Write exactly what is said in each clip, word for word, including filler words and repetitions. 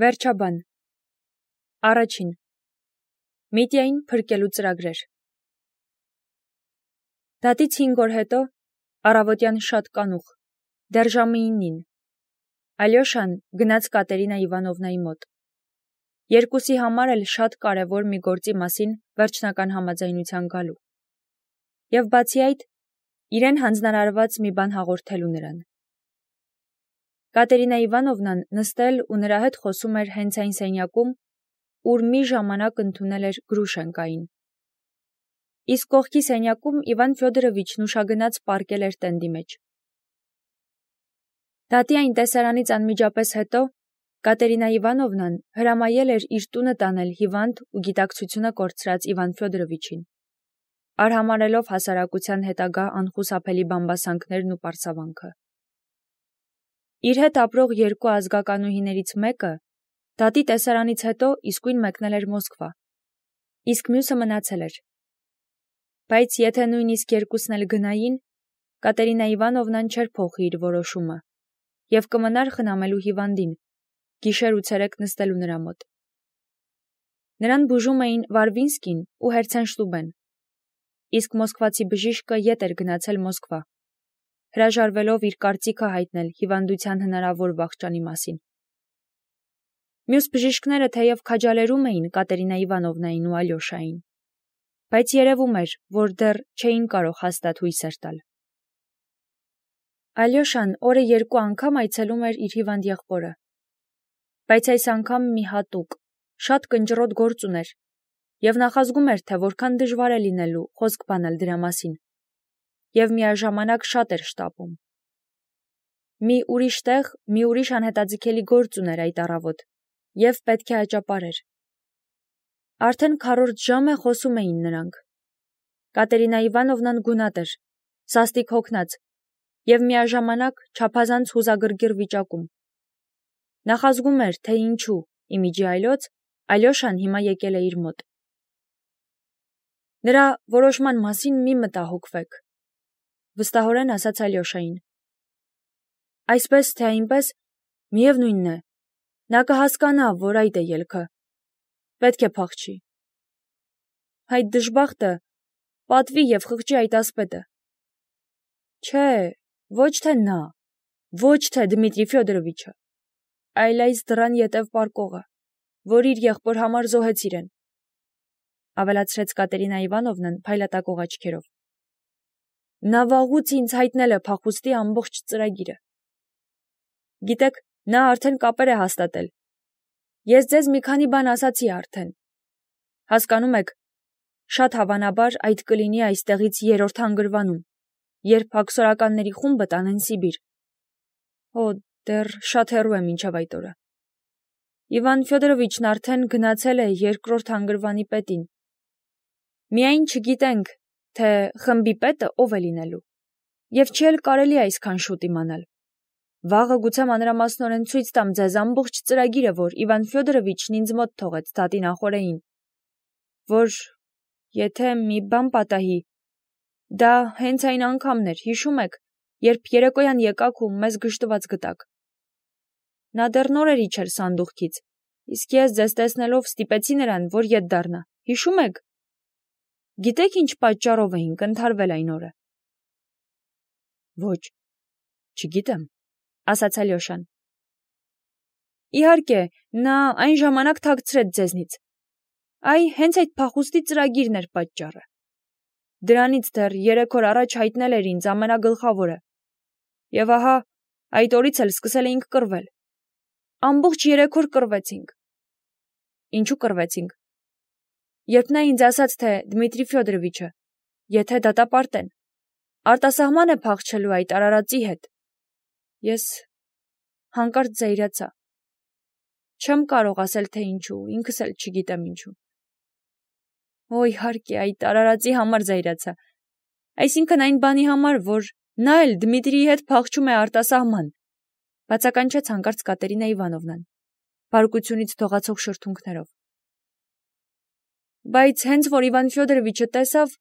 Վերջաբան Առաջին Միտիային փրկելու ծրագրեր Դատից հինգ օր հետո առավոտյան շատ կանուխ դեռ ժամը իննին Ալյոշան գնաց Կատերինա Իվանովնայի մոտ Երկուսի համար էլ շատ կարևոր մի գործի մասին վերջնական համաձայնության գալու Եվ բացի այդ իրեն հանձնարարված մի բան հաղորդելու նրան Կատերինա Իվանովնան նստել ու նրա հետ խոսում էր հենց այն սենյակում, ուր մի ժամանակ ընդունել էր Գրուշենկային։ Իսկ կողքի սենյակում Իվան Ֆյոդորովիչն ուշագնաց պառկել էր տենդի մեջ։ Դատի այն տեսարանից անմիջապես հետո Կատերինա Իվանովնան հրամայել էր իր տունը տանել հիվանդ ու գիտակցությունը կորցրած Իվան Ֆյոդորովիչին, արհամարհելով հասարակության հետագա անխուսափելի բամբասանքներն ու պարծավանքը։ Իր հետ ապրող երկու ազգականուհիներից մեկը դատի տեսարանից հետո իսկույն մեկնել էր Մոսկվա, իսկ մյուսը մնացել էր։ Բայց եթե նույնիսկ երկուսն էլ գնային, Կատերինա Իվանովնան չէր փոխի իր որոշումը և կմնար խնամելու հիվանդին, գիշեր ու ցերեկ նստելու նրա մոտ։ Նրան բուժում էին Վարվինսկին ու Հերցենշտուբեն, իսկ մոսկվացի բժիշկը ետ էր գնացել Մոսկվա, հրաժարվելով իր կարծիքը հայտնել հիվանդության հնարավոր վախճանի մասին։ Մյուս բժիշկները թեև քաջալերում էին Կատերինա Իվանովնային ու Ալյոշային, բայց երևում էր, որ դեռ չէին կարող հաստատ հույսեր տալ։ Ալյոշան օրը երկու անգամ այցելում էր իր հիվանդ եղբորը, բայց այս անգամ մի հատուկ, շատ կնճռոտ գործ ուներ և նախազգում էր, թե որքան դժվար է լինելու խոսք բանել դրա մասին, և միաժամանակ շատ էր շտապում։ Մի ուրիշ տեղ մի ուրիշ անհետաձգելի գործ ուներ այդ առավոտ և պետք է աճապարեր։ Արդեն քառորդ ժամ է խոսում էին նրանք։ Կատերինա Իվանովնան գունատ էր, սաստիկ հոգնած և միաժամանակ չափազանց հուզագրգիռ վիճակում։ Նախազգում էր, թե ինչու, իմիջի այլոց, Ալյոշան հիմա եկել է իր մոտ։ Նրա որոշման մասին մի մտահոգվեք, վստահորեն ասաց Ալյոշային։ Այսպես թե այնպես, միևնույնն է, նա կհասկանա, որ այդ է ելքը, պետք է փախչի։ Այդ դժբախտը պատվի և խղճի այդ ասպետը։ Չէ, ոչ թե նա, ոչ թե Դմիտրի Ֆյոդորովիչը, այլ այս դռան ետև պառկողը, որ իր եղբոր համար զոհեց իրեն, ավելացրեց Կատերինա Իվանովնան փայլատակող աչքերով։ Նա վաղուց ինձ հայտնել է փախուստի ամբողջ ծրագիրը։ Գիտեք, նա արդեն կապեր է հաստատել։ Ես ձեզ մի քանի բան ասացի արդեն։ Հասկանում եք, շատ հավանաբար այդ կլինի այստեղից երրորդ հանգրվանում, երբ հաքսորականների խումբը տանեն Սիբիր։ Օ, դեռ շատ հեռու է մինչև այդ օրը։ Իվան Ֆյոդորովիչն արդեն գնացել է երկրորդ հանգրվանի պետին։ Միայն չգիտենք, թե խմբի պետը ով է լինելու, և չի էլ կարելի այսքան շուտ իմանալ։ Վաղը գուցե մանրամասնորեն ցույց տամ ձեզ ամբողջ ծրագիրը, որ Իվան Ֆյոդորովիչն ինձ մոտ թողեց դատի նախօրեին, որ, եթե մի բան պատահի, դա հենց այն անգամն էր, հիշում եք, երբ երեկոյան եկաք ու մեզ գժտված գտաք։ Նա դեռ նորերի չէր սանդուղքից, իսկ ես ձեզ տեսնելով ստիպեցի նրան, որ ետ դառնա, հիշում եք։ Գիտեք ինչ պատճառով էինք ընդհարվել այն օրը։ Ոչ, չգիտեմ, ասաց Ալյոշան։ Իհարկե, նա այն ժամանակ թաքցրեց ձեզնից։ Այ հենց այդ փախուստի ծրագիրն էր պատճառը։ Դրանից դեռ երեք օր առաջ հայտնել էր ինձ ամենագլխավորը։ Եվ ահա, այդ օրից էլ սկսել էինք կռվել։ Ամբողջ երեք օր կռվեցինք։ Ինչու կռվեցինք։ Երբ նա ինձ ասաց, թե Դմիտրի Ֆյոդորովիչը, եթե դատապարտեն, արտասահման է փախչելու այդ արարածի հետ, ես հանկարծ զայրացա։ Չեմ կարող ասել, թե ինչու, ինքս էլ չգիտեմ ինչու։ Օ, իհարկե, այդ արարածի համար զայրացա։ Այսինքն այն բանի համար, որ նա էլ Դմիտրիի հետ փախչում է արտասահման, բացականչեց հանկարծ Կատերինա Իվանովնան, բարկությունից դողացող շրթունքներով։ Բայց հենց որ Իվան Ֆյոդորովիչը տեսավ,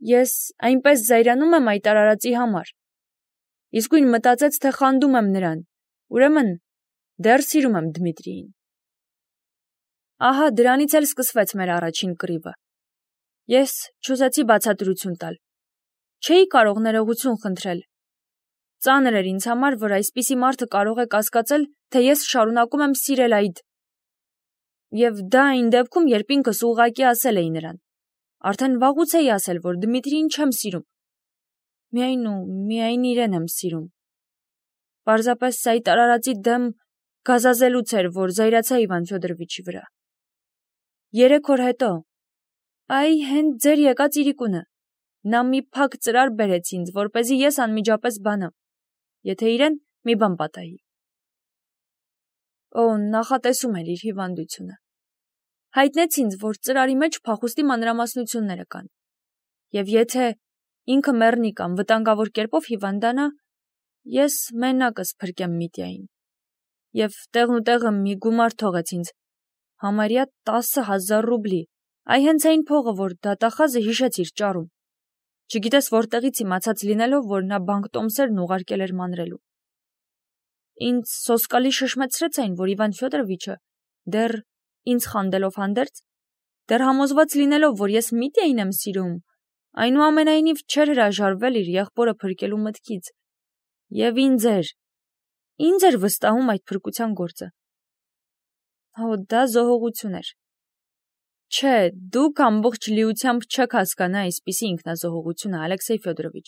ես այնպես զայրանում եմ այդ արարածի համար։ Իսկույն մտածեց, թե խանդում եմ նրան, ուրեմն դեռ սիրում եմ Դմիտրիին։ Ահա դրանից էլ սկսվեց մեր առաջին կռիվը։ Ես չուզեցի բացատրություն տալ։ Չէի կարող ներողություն խնդրել։ Ծանր էր ինձ համար, որ այսպիսի մարդը կարող է կասկածել, թե ես շարունակում եմ սիրել այդ։ Եվ դա այն դեպքում, երբ ինքս ուղղակի ասել էի նրան։ Արդեն վաղուց էի ասել, որ Դմիտրիին չեմ սիրում։ Միայն ու միայն իրեն եմ սիրում։ Պարզապես այդ արարածի դեմ գազազելուց էր, որ զայրացա Իվան Ֆյոդորովիչի վրա։ Երեք օր հետո, այ հենց ձեր եկած իրիկունը, նա մի փակ ծրար բերեց ինձ, որպեսզի ես անմիջապես բանամ, եթե իրեն մի բան պատահի։ Օ, նախատեսում էր իր հիվանդությունը։ Հայտնեց ինձ, որ ծրարի մեջ փախուստի մանրամասնությունները կան, և եթե ինքը մեռնի կամ վտանգավոր կերպով հիվանդանա, ես մենակս փրկեմ Միտյային։ Եվ տեղնուտեղը մի գումար թողեց ինձ, համարյա տասը հազար ռուբլի, այ հենց այն փողը, որ դատախազը հիշեց իր ճարում, չգիտես որտեղից իմացած լինելով, որ նա բանկտոմսերն ուղարկել էր մանրելու։ Ինձ սոսկալի շշմեցրեց այն, որ Իվան Ֆյոդորովիչը դեռ ինձ խանդելով հանդերձ, դեռ համոզված լինելով, որ ես Միտյային եմ սիրում, այնուամենայնիվ չէր հրաժարվել իր եղբորը փրկելու մտքից, և ինձ էր, ինձ էր վստահում այդ փրկության գործը։ Հո, դա զոհողություն էր։ Չէ, դուք ամբողջ լիությամբ չեք հասկանա այսպիսի ինքնազոհողությունը, Ալեքսեյ Ֆյոդորովիչ։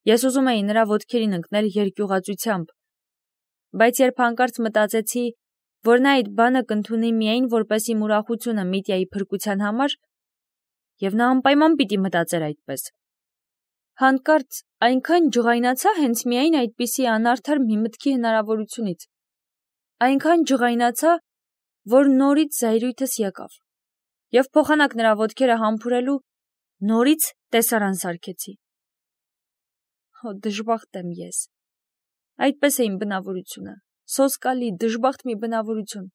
Ես ուզում էի նրա ոտքերին ընկնել երկյուղածությամբ, բայց երբ հանկարծ մտածեցի, որ նա այդ բանը կընդունի միայն որպես իմ ուրախությունը Միտյայի փրկության համար, և նա անպայման պիտի մտածեր այդպես, հանկարծ այնքան ջղայնացա հենց միայն այդպիսի անարդար մի մտքի հնարավորությունից, այնքան ջղայնացա, որ նորից զայրույթս եկավ, և փոխանակ նրա ոտքերը համբուրելու նորից տեսարան սարքեցի։ Հո, դժբախտ եմ ես։ Այդպես է իմ բնավորությունը, սոսկալի, դժբախտ մի բնավորություն։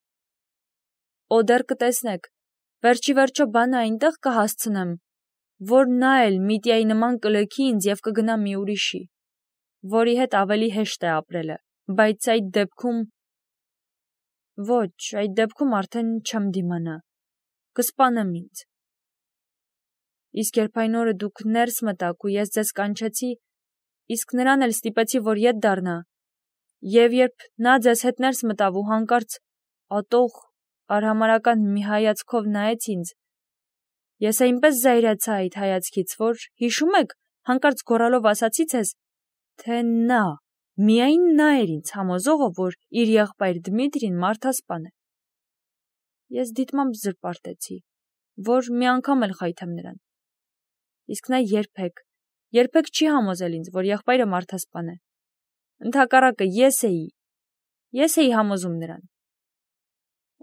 Օ, դեռ կտեսնեք, վերջի վերջո բանը այնտեղ կհասցնեմ, որ նա էլ Միտյայի նման կլքի ինձ և կգնա մի ուրիշի, որի հետ ավելի հեշտ է ապրելը, բայց այդ դեպքում… Ոչ, այդ դեպքում արդեն չեմ դիմանա, կսպանեմ ինձ։ Իսկ երբ այն օրը դուք ներս մտաք ու ես ձեզ կանչեցի, իսկ նրան էլ ստիպեցի, որ ետ դառնա, և երբ նա ձեզ հետ ներս մտավ ու հանկարծ ատող, արհամարհական մի հայացքով նայեց ինձ, ես այնպես զայրացա այդ հայացքից, որ, հիշում եք, հանկարծ գոռալով ասացի ձեզ, թե նա, միայն նա էր ինձ համոզողը, որ իր եղբայր Դմիտրին մարդասպան է։ Ես դիտմամբ զրպարտեցի, որ մի անգամ էլ խայթեմ նրան։ Իսկ նա երբեք, երբեք չի համոզել ինձ, որ եղբայրը մարդասպան է։ Ընդհակառակը ես էի, ես էի համոզում նրան։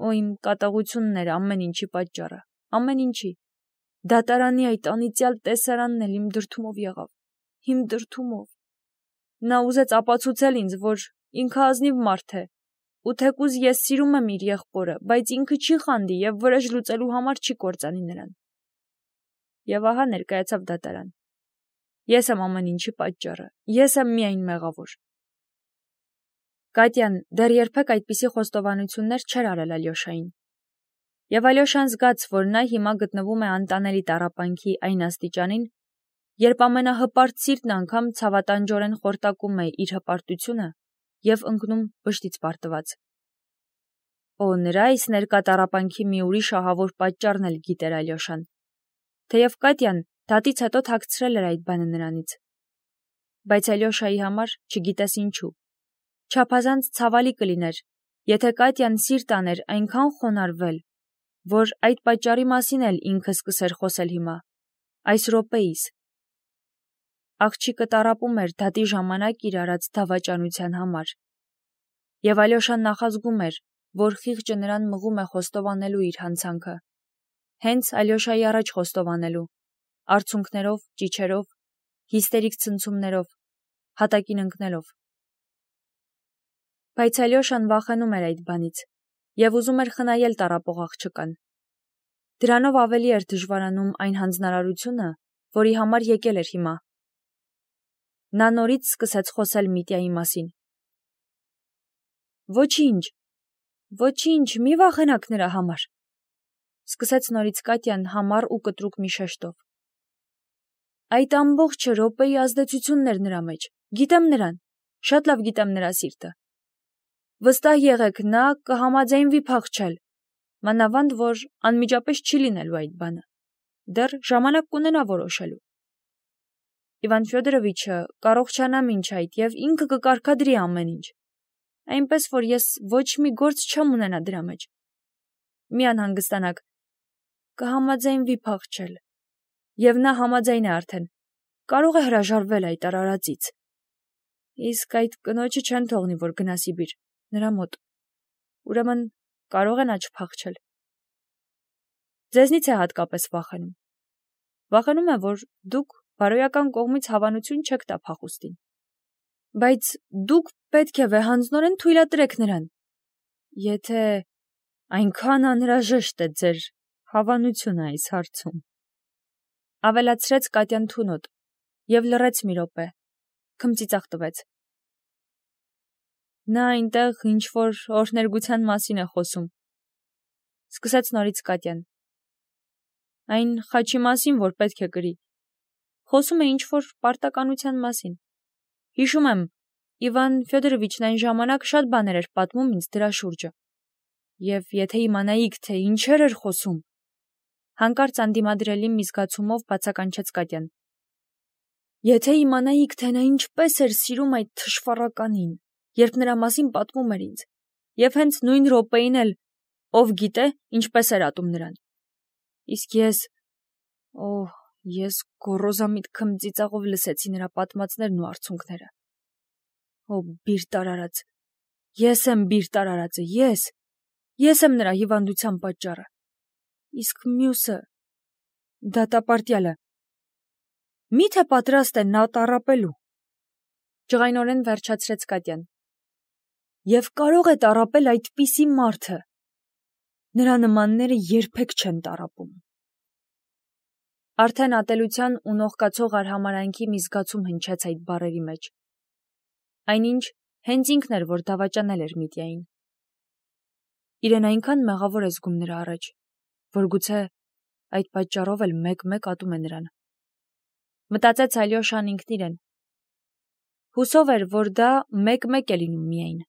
Օ, իմ կատաղությունն էր ամեն ինչի պատճառը, ամեն ինչի։ Դատարանի այդ անիծյալ տեսարանն էլ իմ դրդումով եղավ, իմ դրդումով։ Նա ուզեց ապացուցել ինձ, որ ինքը ազնիվ մարդ է, ու թեկուզ ես սիրում եմ իր եղբորը, բայց ինքը չի խանդի և վրեժ լուծելու համար չի կործանի նրան։ Եվ ահա ներկայացավ դատարան։ Ես եմ ամեն ինչի պատճառը, ես եմ միայն մեղավոր։ Կատյան դեռ երբեք այդպիսի խոստովանություններ չէր արել Ալյոշային։ Եվ Ալյոշան զգաց, որ նա հիմա գտնվում է անտանելի տառապանքի այն աստիճանին, երբ ամենահպարտ սիրտն անգամ ցավատանջորեն խորտակում է իր հպարտությունը և ընկնում վշտից պարտված։ Օ, նրա այս ներկա տառապանքի մի ուրիշ ահավոր պատճառն էլ գիտեր Ալյոշան, թեև Կատյան դատից հետո թաքցրել էր այդ բանը նրանից։ Բայց Ալյոշայի համար, չգիտես ինչու, չափազանց ցավալի կլիներ, եթե Կատյան սիրտ աներ այնքան խոնարհվել, որ այդ պատճառի մասին էլ ինքը սկսեր խոսել հիմա, այս րոպեիս։ Աղջիկը տառապում էր դատի ժամանակ իր արած դավաճանության համար, և Ալյոշան նախազգում էր, որ խիղճը նրան մղում է խոստովանելու իր հանցանքը, հենց Ալյոշայի առաջ խոստովանելու, արցունքներով, ճիչերով, հիստերիկ ցնցումներով, հատակին ընկնելով։ Բայց Ալյոշան վախենում էր այդ բանից և ուզում էր խնայել տառապող աղջկան։ Դրանով ավելի էր դժվարանում այն հանձնարարությունը, որի համար եկել էր հիմա։ Նա նորից սկսեց խոսել Միտյայի մասին։ Ոչինչ, Ոչինչ, մի վախենաք նրա համար, սկսեց նորից Կատյան համառ ու կտրուկ մի շեշտով։ Այդ ամբողջը րոպեի ազդեցությունն էր նրա մեջ, գիտեմ նրան, շատ լավ գիտեմ նրա սիրտը։ Վստահ եղեք, նա կհամաձայնվի փախչել, մանավանդ որ անմիջապես չի լինելու այդ բանը, դեռ ժամանակ կունենա որոշելու։ Իվան Ֆյոդորովիչը կառողջանա մինչ այդ և ինքը կկարգադրի ամեն ինչ, այնպես որ ես ոչ մի գործ չեմ ունենա դրա մեջ։ Մի անհանգստանաք, կհամաձայնվի փախչել, և նա համաձայն է արդեն, կարող է հրաժարվել այդ արարածից։ Իսկ այդ կնոջը չեն թողնի, որ գնա Սիբիր, նրա մոտ, ուրեմն կարող է նա չփախչել։ Ձեզնից է հատկապես վախենում։ Վախենում է, որ դուք բարոյական կողմից հավանություն չեք տա փախուստին։ Բայց դուք պետք է վեհանձնորեն թույլատրեք նրան, եթե այնքան անհրաժեշտ է ձեր հավանությունը այս հարցում, ավելացրեց Կատյան թունոտ և լռեց մի րոպե, քմծիծաղ տվեց։ Նա այնտեղ ինչ-որ օրհներգության մասին է խոսում, սկսեց նորից Կատյան։ Այն խաչի մասին, որ պետք է կրի, խոսում է ինչ-որ պարտականության մասին։ Հիշում եմ, Իվան Ֆյոդորովիչն այն ժամանակ շատ բաներ էր պատմում ինձ դրա շուրջը։ Եվ եթե իմանայիք, թե ինչեր էր խոսում, հանկարծ անդիմադրելի մի զգացումով բացականչեց Կատյան։ Եթե իմանայիք, թե նա ինչպես էր սիրում այդ թշվառականին, երբ նրա մասին պատմում էր ինձ, և հենց նույն րոպեին էլ, ով գիտե, ինչպես էր ատում նրան։ Իսկ ես, օհ, ես գոռոզամիտ քմծիծաղով լսեցի նրա պատմածներն ու արցունքները։ Օ, բիրտ արարած, ես եմ բիրտ արարածը, ես, ես եմ նրա հիվանդության պատճառը։ Իսկ մյուսը, դատապարտյալը, մի՞թե պատրաստ է նա տառապելու։ Ջղայնորեն վերջացրեց Կատյան։ Եվ կարող է տառապել այդպիսի մարդը։ Նրա նմանները երբեք չեն տառապում։ Արդեն ատելության ու նողկացող արհամարհանքի մի զգացում հնչեց այդ բառերի մեջ։ Այնինչ հենց ինքն էր, որ դավաճանել էր Միտյային։ Իրեն այնքան մեղավոր է զգում նրա առաջ, որ գուցե այդ պատճառով էլ մեկ-մեկ ատում է նրան։ Մտածեց Ալյոշան ինքն իրեն։ Հուսով էր, որ դա մեկ-մեկ է լինում միայն։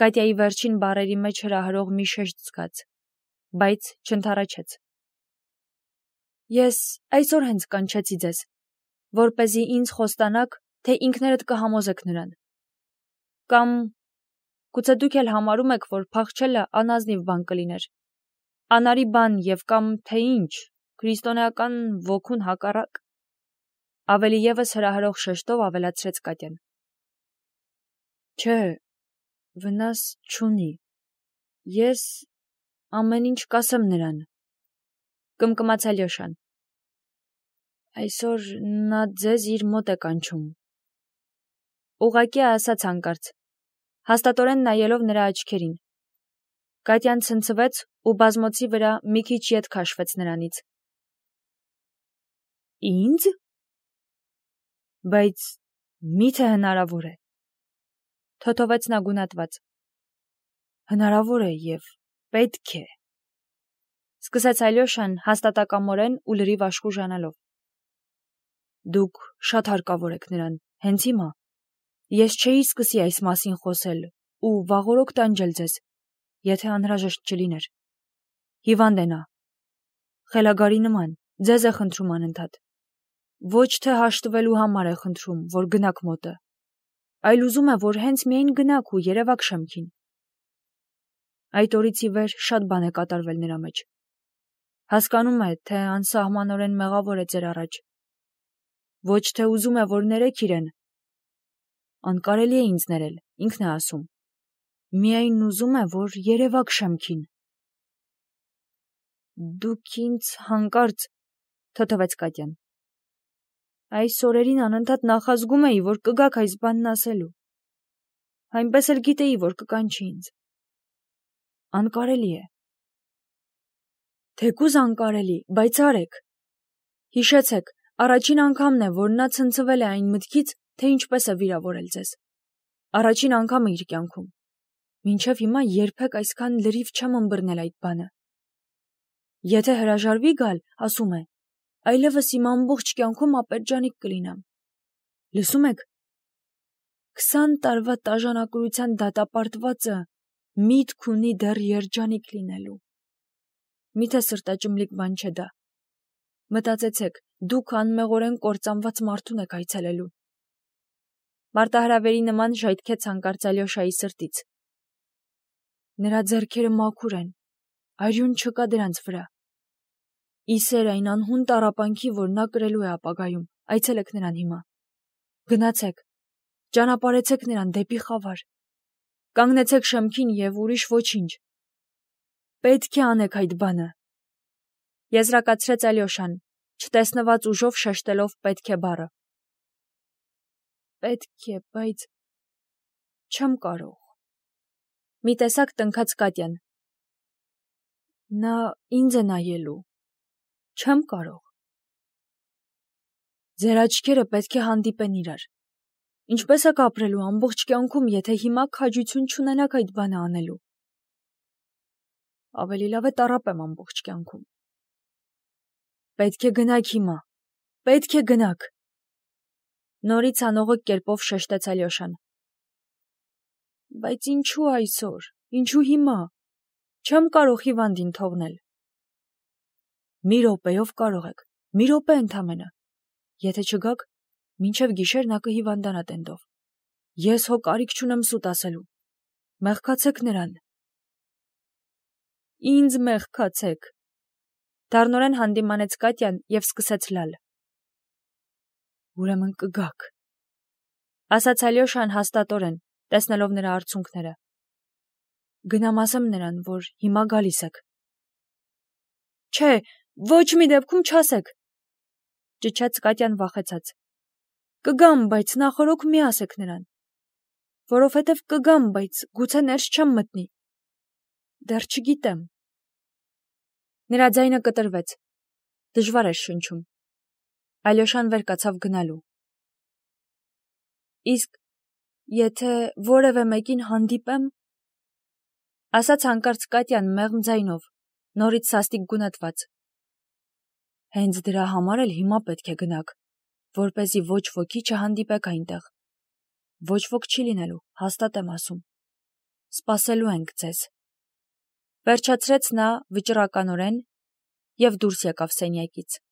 Կատյայի վերջին բառերի մեջ հրահրող մի շեշտ զգաց, բայց չընդառաջեց։ Ես այսօր հենց կանչեցի ձեզ, որպեսզի ինձ խոստանաք, թե ինքներդ կհամոզեք նրան։ Կամ գուցե դուք էլ համարում եք, որ փախչելը անազնիվ բան կլիներ, անարի բան և կամ թե ինչ, քրիստոնեական ոգուն հակառակ։ Ավելի ևս հրահրող շեշտով ավելացրեց Կատյան։ Չէ, վնաս չունի։ Ես ամեն ինչ կասեմ նրան։ Կմկմաց Ալյոշան։ Այսօր նա ձեզ իր մոտ է կանչում։ Ուղղակի ասաց հանկարծ, հաստատորեն նայելով նրա աչքերին։ Կատյան ցնցվեց ու բազմոցի վրա մի քիչ ետ քաշվեց նրանից։ Ինձ։ Բայց մի՞թե հնարավոր է։ Թոթովեց նա գունատված։ Հնարավոր է և պետք է։ Սկսեց Ալյոշան հաստատակամորեն ու լրիվ աշխուժանալով։ Դուք շատ հարկավոր եք նրան, հենց հիմա։ Ես չէի սկսի այս մասին խոսել ու վաղօրոք տանջել ձեզ, եթե անհրաժեշտ չլիներ։ Հիվանդ է նա։ Խելագարի նման, ձեզ է խնդրում անընդհատ։ Ոչ թե հաշտվելու համար է խնդրում, որ գնաք մոտը, այլ ուզում է, որ հենց միայն գնաք ու երևաք շեմքին։ Այդ օրից ի վեր շատ բան է կատարվել նրա մեջ։ Հասկանում է, թե անսահմանորեն մեղավոր է ձեր առաջ։ Ոչ թե ուզում է, որ ներեք իրեն։ Անկարելի է ինձ ներել, ինքն է ասում։ Միայն ուզում է, որ երևաք շեմքին։ Դուք ինձ հանկարծ, թոթվեց Կատյան։ Այս օրերին անընդհատ նախազգում էի, որ կգաք այս բանն ասելու։ Այնպես էլ գիտեի, որ կկանչի ինձ։ Անկարելի է։ Թեկուզ անկարելի, բայց արեք։ Հիշեցեք, առաջին անգամն է, որ նա ցնցվել է այն մտքից, թե ինչպես է վիրավորել ձեզ։ Առաջին անգամը իր կյանքում։ Մինչև հիմա երբեք այսքան լրիվ չեմ ըմբռնել այդ բանը։ Եթե հրաժարվի գալ, ասում է, այլևս իմ ամբողջ կյանքում ապերջանիկ կլինեմ։ Լսում եք, քսան տարվա տաժանակրության դատապարտվածը միտք ունի դեռ երջանիկ լինելու։ Միթե սրտաճմլիկ բան չէ դա։ Մտածեցեք, դուք անմեղորեն կործանված մարդուն եք այցելելու։ Մարտահրավերի նման ժայթքեց հանկարծ Ալյոշայի սրտից։ Նրա ձեռքերը մաքուր են, արյուն չկա դրանց վրա։ Իսեր այն անհուն տառապանքի, որ նա կրելու է ապագայում, այցելեք նրան հիմա։ Գնացեք, ճանապարհեցեք նրան դեպի խավար։ Կանգնեցեք շեմքին և ուրիշ ոչինչ։ Պետք է անեք այդ բանը։ Եզրակացրեց Ալյոշան, չտեսնված ուժով շեշտելով պետք է բառը։ Պետք է, բայց չեմ կարող։ Մի տեսակ տնքաց Կատյան։ Նա ինձ է նայելու։ Չեմ կարող։ Ձեր աչքերը պետք է հանդիպեն իրար։ Ինչպես եք ապրելու ամբողջ կյանքում, եթե հիմա քաջություն չունենաք այդ բանը անելու։ Ավելի լավ է տառապեմ ամբողջ կյանքում։ Պետք է գնաք հիմա։ Պետք է գնաք։ Նորից անողոք կերպով շեշտեց Ալյոշան։ Բայց ինչու այսօր, ինչու հիմա։ Չեմ կարող հիվանդին թողնել։ Մի րոպեով կարող եք, մի րոպե ընդամենը։ Եթե չգաք, մինչև գիշեր նա կհիվանդանա տենդով։ Ես հո կարիք չունեմ սուտ ասելու։ Մեղքացեք նրան։ Ինձ մեղքացեք։ Դառնորեն հանդիմանեց Կատյան և սկսեց լալ։ Ուրեմն կգաք, ասաց Ալյոշան հաստատորեն, տեսնելով նրա արցունքները։ Գնամ ասեմ նրան, որ հիմա գալիս եք։ Չէ, ոչ մի դեպքում չասեք, ճչաց Կատյան վախեցած։ Կգամ, բայց նախօրոք մի ասեք նրան։ Որովհետև կգամ, բայց գուցե ներս չեմ մտնի։ Դեռ չգիտեմ։ Նրա ձայնը կտրվեց։ Դժվար էր շնչում։ Ալյոշան վեր կացավ գնալու։ Իսկ եթե որևէ մեկին հանդիպեմ, ասաց հանկարծ Կատյան մեղմ ձայնով, նորից սաստիկ գունատված։ Հենց դրա համար էլ հիմա պետք է գնաք, որպեսզի ոչ ոքի չհանդիպեք այնտեղ։ Ոչ ոք չի լինելու, հաստատ եմ ասում։ Սպասելու ենք ձեզ։ Վերջացրեց նա վճռականորեն և դուրս եկավ սենյակից։